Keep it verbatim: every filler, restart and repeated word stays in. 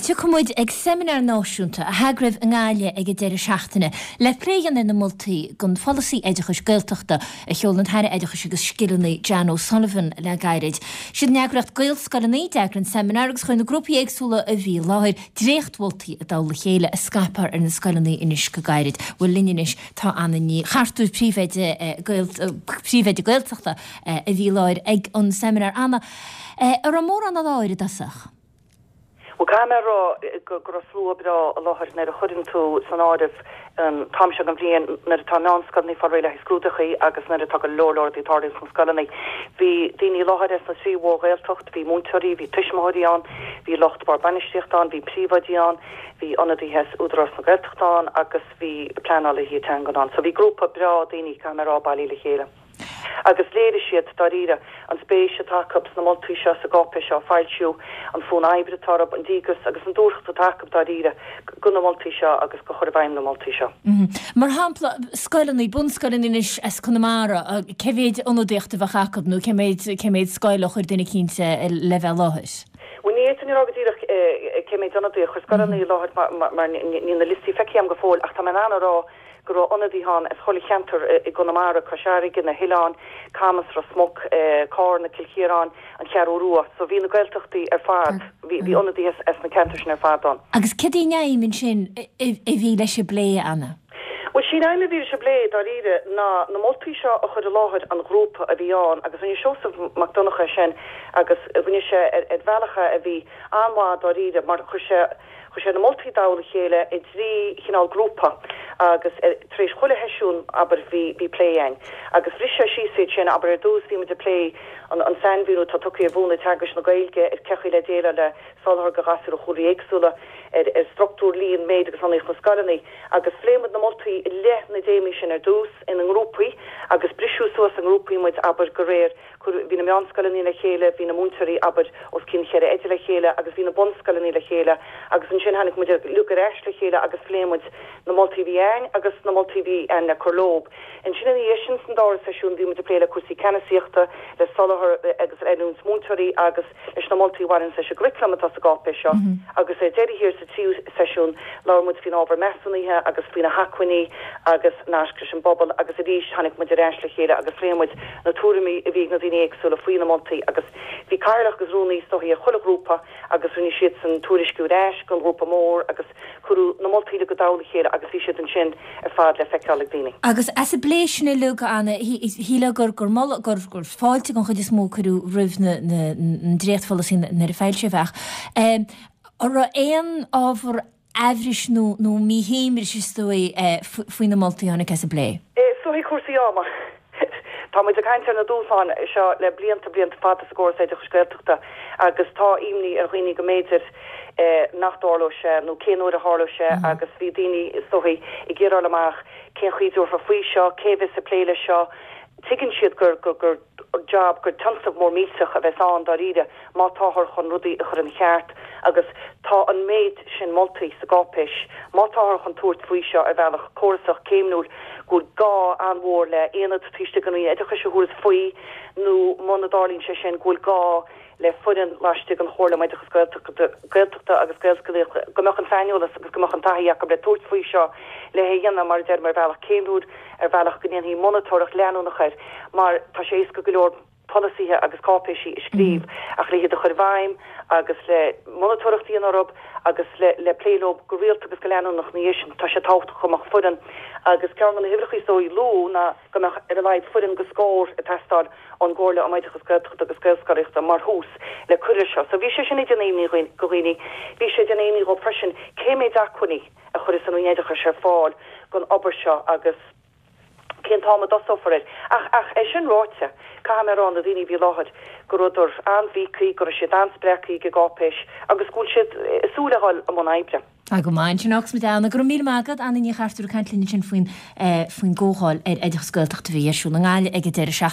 Tiocfaidh muid ag seimineár náisiúnta a heagraíodh i nGaillimh ag an deireadh seachtaine le plé a dhéanamh ar na moltaí don pholasaí oideachais Gaeltachta a sheol an tAire Oideachais agus Scileanna Jan O'Sullivan le gairid. Siad an eagraíocht Gaelscoileanna a d'eagraigh an seimineár agus chuir na grúpaí éagsúla a bhí i láthair dréachtmholtaí i dtoll a chéile a scaipfear ar na scoileanna anois go gairid. Bhuel linn anois tá Anna Ní Chartúir, príomhoide príomhoide Gaeltachta a bhí i láthair ag an seimineár. Anna, an raibh mórán i láthair i dtosach? Bhuel caithfidh mé a rá go raibh slua breá i láthair nuair a chuireann tú san áireamh an t-am seo den bhliain nuair atá meánscoileanna ag fáil réidh le haghaidh scrúduithe agus nuair atá go leor leor rudaí ag tarlú sna scoileanna. Bhí daoine i láthair as na trí mhór-Ghaeltacht, bhí múinteoirí, bhí tuismitheoirí ann, bhí lucht bord bainistíochta ann, bhí príomhoidí ann, bhí ionadaithe as Údarás na Gaeltachta ann agus bhí pleanálaithe teangan ann. So bhí grúpa breá daoine caithfidh mé a rá bailithe le chéile. Agus léirigh siad dáiríre an spéis atá acu sna moltaí seo sa gcáipéis seo a foilsíodh, an fonn oibre atá orthu, an díograis agus an dúthracht atá acu dáiríre do na moltaí seo agus do chur i bhfeidhm na moltaí seo. Mar shampla, scoileanna, bunscoileanna anois as Conamara, cé mhéid ionadaíocht a bheadh acu nó cé mhéid cé mhéid scoil a chuir duine eicínt le bheith i láthair? Bhuel ní fhéadfainn a rá go díreach cé mhéid ionadaí a chuir scoileanna i láthair mar níl na liostaí feicthe agam go fóill ach tá mé in ann a rá go raibh ionadaithe ann as chuile cheantar i gConamara, Cois Fharraige, na hOileáin, Camas, Ros Muc, Carna, Cill Chiaráin, an Cheathrú Rua. So bhí na Gaeltachtaí ar fad, bhí ionadaithe as na ceantair sin ar fad ann. Agus céard í an aidhm ansin a bhí leis an bplé, Anna? Bhuel, sí an aidhm a bhí leis an bplé, dáiríre, ná na moltaí seo a chur i láthair an ghrúpa a bhí ann agus rinne Seosamh Mac Donncha é sin agus rinne sé ar bhealach é a bhí an-mhaith dáiríre mar chuir sé Chuir sé na moltaí i dtoll a chéile i dtrí chineál grúpa agus tar éis chuile sheisiún, abair, bhí bhí plé ann. Agus bhris sé síos iad sin, abair, ar dtús bhí muid ag plé an an sainmhíniú atá tugtha ar mhúnla teagaisc na Gaeilge, ar cé chaoi le déileáil le soláthar do ghasúir ó chúlraí éagsúla, ar ar struchtúr, líon, méid agus lonnaíocht na scoileanna. Agus phléigh muid na moltaí i leith na dtéamaí sin ar dtús ina ngrúpaí agus briseadh suas i ngrúpaí muid, abair, de réir Cuireadh, bhí na meánscoileanna le chéile, bhí na múinteoirí, abair, os cionn cheithre oide le chéile agus bhí na bunscoileanna le chéile agus ansin tháinig muid uilig ar ais le chéile agus phléigh muid na moltaí a bhí a'ainn agus na moltaí a bhí a'ainn le cur leob. Ansin ina dhiaidh sin san dara seisiún bhí muid ag plé le cúrsaí ceannasaíochta, le soláthar agus oiliúint múinteoirí agus leis na moltaí a bhaineanns leis an gcuraclam atá sa gcáipéis seo agus ar deireadh thiar sa tríú seisiún labhair muid faoin ábhar measúnaithe agus faoi na hacmhainní agus naisc leis an bpobal agus arís tháinig muid ar ais le chéile agus phléigh muid na tuairimí a bhí ag na daoine éagsúla faoi na moltaí agus bhí cathaoirleach agus rúnaí is dóichí ar chuile ghrúpa agus rinne siadsan tuairisciú ar ais don ghrúpa mór agus cuireadh na moltaí uilig i dtoll a chéile agus bhí siad ansin ar fad le feiceáil ag daoine. Agus as an bplé sin uilig, Anna, shílfeá gur gur moladh gur gur fáilte den chuid is mó a cuireadh roimh na na an dréachtpholasaí nuair a foilsíodh é ach an raibh aon ábhar aimhris nó nó míshuaimhnis is dóigh faoi na moltaí a tháinig as an bplé? Is dóichí cúrsaí ama. Tá muid ag caint ar na dúshláin seo le blianta, blianta fada sa gcóras oideachais Gaeltachta agus tá imní ar dhaoine go mb'fhéidir nach dtarlódh sé nó cén uair a tharlódh sé agus bhí daoine is dóichí ag iarraidh a fháil amach cén chaoi a dtabharfar faoi seo, cé a bheas ag plé leis seo. Tuigeann siad gur gur job, gur tionscnamh mór millteach a bheas ann dáiríre má táthar chun rudaí a chur ina cheart agus tá an méid sin moltaí sa gcáipéis má táthar chun tabhairt faoi seo ar bhealach córasach céimniúil go bhfuil gá an-mhór le aonad taobh istigh den Roinn Oideachais a thabharfas faoi nó muna dtarlaíonn sé sin go bhfuil gá le foireann laistigh den Chomhairle um Oideachas Gaeltachta agus Gaelscolaíochta go mbeadh an saineolas agus go mbeadh an taithí acu le tabhairt faoi seo le hé a dhéanamh mar a deirim ar bhealach céimniúil, ar bhealach go ndéanfaí monatóireacht leanúnach air mar tá sé éasca go leor polasaithe agus cáipéisí a scríobh ach le hiad a chur i bhfeidhm agus le monatóireacht a dhéanamh orthu agus le le plé leo go rialta agus go leanúnach ina dhiaidh sin tá sé tábhachtach go mbeadh foireann agus ceann de na huimhreacha is dóigh a luadh ná go mbeadh ar a laghad foireann de scór ag teastáil ón gComhairle um Oideachas Gaeltachta agus Gaelscolaíochta mar thús le cur leis seo. So bhí sé sin ag déanamh imní do dhaoine. Bhí sé ag déanamh imní dhóibh freisin cé méid acmhainní a chuirfeas an Roinn Oideachais ar fáil don obair seo agus cén t-am a dtosófar air. Ach, ach é sin ráite, caithfidh mé a rá, na daoine a bhí i láthair, go rabhadar an-bhíogtha, go raibh siad an-spreagtha ag an gcáipéis agus go bhfuil siad ag súil a dhul i mbun oibre. Tá go maith ansin agus muid Anna. Go raibh míle maith agat, Anna Ní Chartúir ag caint linn ansin faoin faoin gcomhdháil ar oideachas Gaeltachta a bhí ar siúl i nGaillimh ag an deireadh seachtaine.